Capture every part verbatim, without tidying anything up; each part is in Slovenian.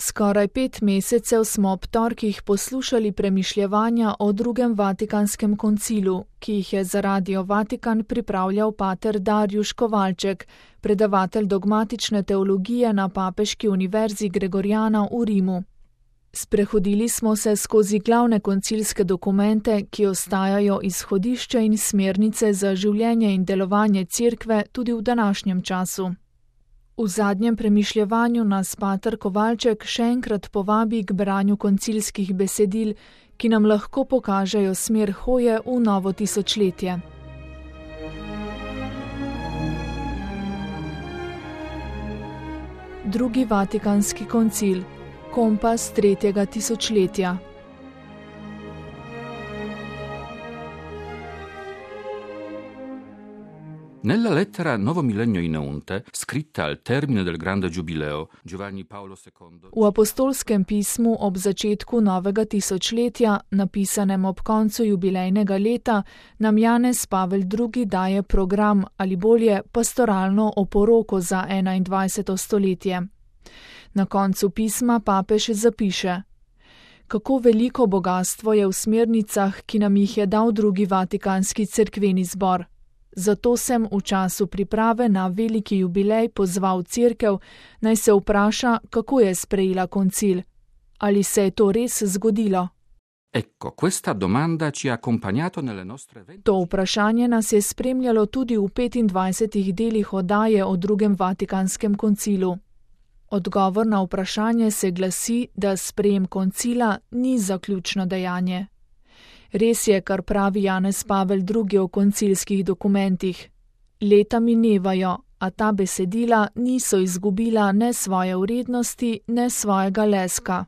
Skoraj pet mesecev smo ob torkih poslušali premišljevanja o drugem Vatikanskem koncilu, ki jih je za Radio Vatikan pripravljal pater Darjuš Kovalček, predavatelj dogmatične teologije na Papeški univerzi Gregoriana v Rimu. Sprehodili smo se skozi glavne koncilske dokumente, ki ostajajo izhodišče in smernice za življenje in delovanje Cerkve tudi v današnjem času. V zadnjem premišljevanju nas pater Kovalček še enkrat povabi k branju koncilskih besedil, ki nam lahko pokažejo smer hoje v novo tisočletje. Drugi Vatikanski koncil, kompas tretjega tisočletja. Nella lettera Novo Millennio in Eunte, scritta al termine del grande giubileo, Giovanni Paolo secondo. V apostolskem pismu ob začetku novega tisočletja, napisanem ob koncu jubilejnega leta, nam Janez Pavel drugi daje program ali bolje pastoralno oporoko za enaindvajseto stoletje. Na koncu pisma papež zapiše: Kako veliko bogastvo je v smernicah, ki nam jih je dal drugi Vatikanski cerkveni zbor. Zato sem v času priprave na veliki jubilej pozval Cerkev, naj se vpraša, kako je sprejela koncil. Ali se je to res zgodilo? Ecco, questa domanda ci ha accompagnato nelle nostre venti... To vprašanje nas je spremljalo tudi v petindvajsetih delih oddaje o drugem Vatikanskem koncilu. Odgovor na vprašanje se glasi, da sprejem koncila ni zaključno dejanje. Res je, kar pravi Janez Pavel drugi o koncilskih dokumentih. Leta minevajo, a ta besedila niso izgubila ne svoje vrednosti, ne svojega leska.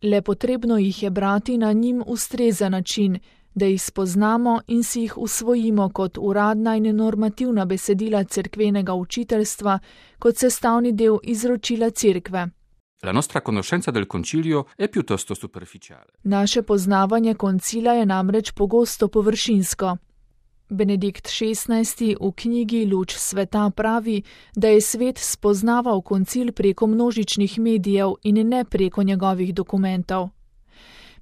Le potrebno jih je brati na njim ustrezen način, da jih spoznamo in si jih usvojimo kot uradna in normativna besedila cerkvenega učiteljstva, kot sestavni del izročila Cerkve. La nostra conoscenza del concilio è piuttosto superficiale. Naše poznavanje koncila je namreč pogosto površinsko. Benedikt šestnajsti v knjigi Luč sveta pravi, da je svet spoznaval koncil preko množičnih medijev in ne preko njegovih dokumentov.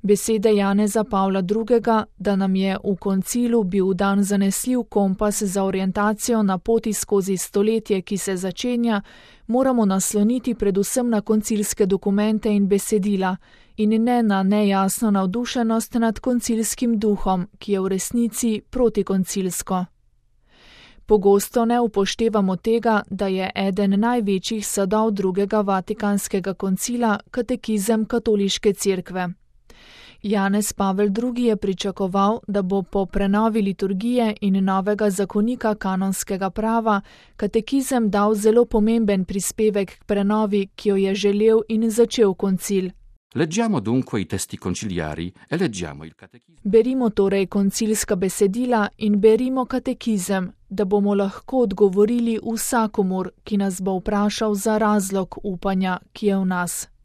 Besede Janeza Pavla drugega, da nam je v koncilu bil dan zanesljiv kompas za orientacijo na poti skozi stoletje, ki se začenja, moramo nasloniti predvsem na koncilske dokumente in besedila in ne na nejasno navdušenost nad koncilskim duhom, ki je v resnici protikoncilsko. Pogosto ne upoštevamo tega, da je eden največjih sadov drugega Vatikanskega koncila katekizem katoliške cerkve. Janez Pavel drugi je pričakoval, da bo po prenovi liturgije in novega zakonika kanonskega prava katekizem dal zelo pomemben prispevek k prenovi, ki jo je želel in začel koncil. Leggiamo dunque i testi conciliari e leggiamo il catechismo. Berimo torej koncilska besedila in berimo katekizem, da bomo lahko odgovorili vsakomur, ki nas bo vprašal za razlog upanja, ki je v nas.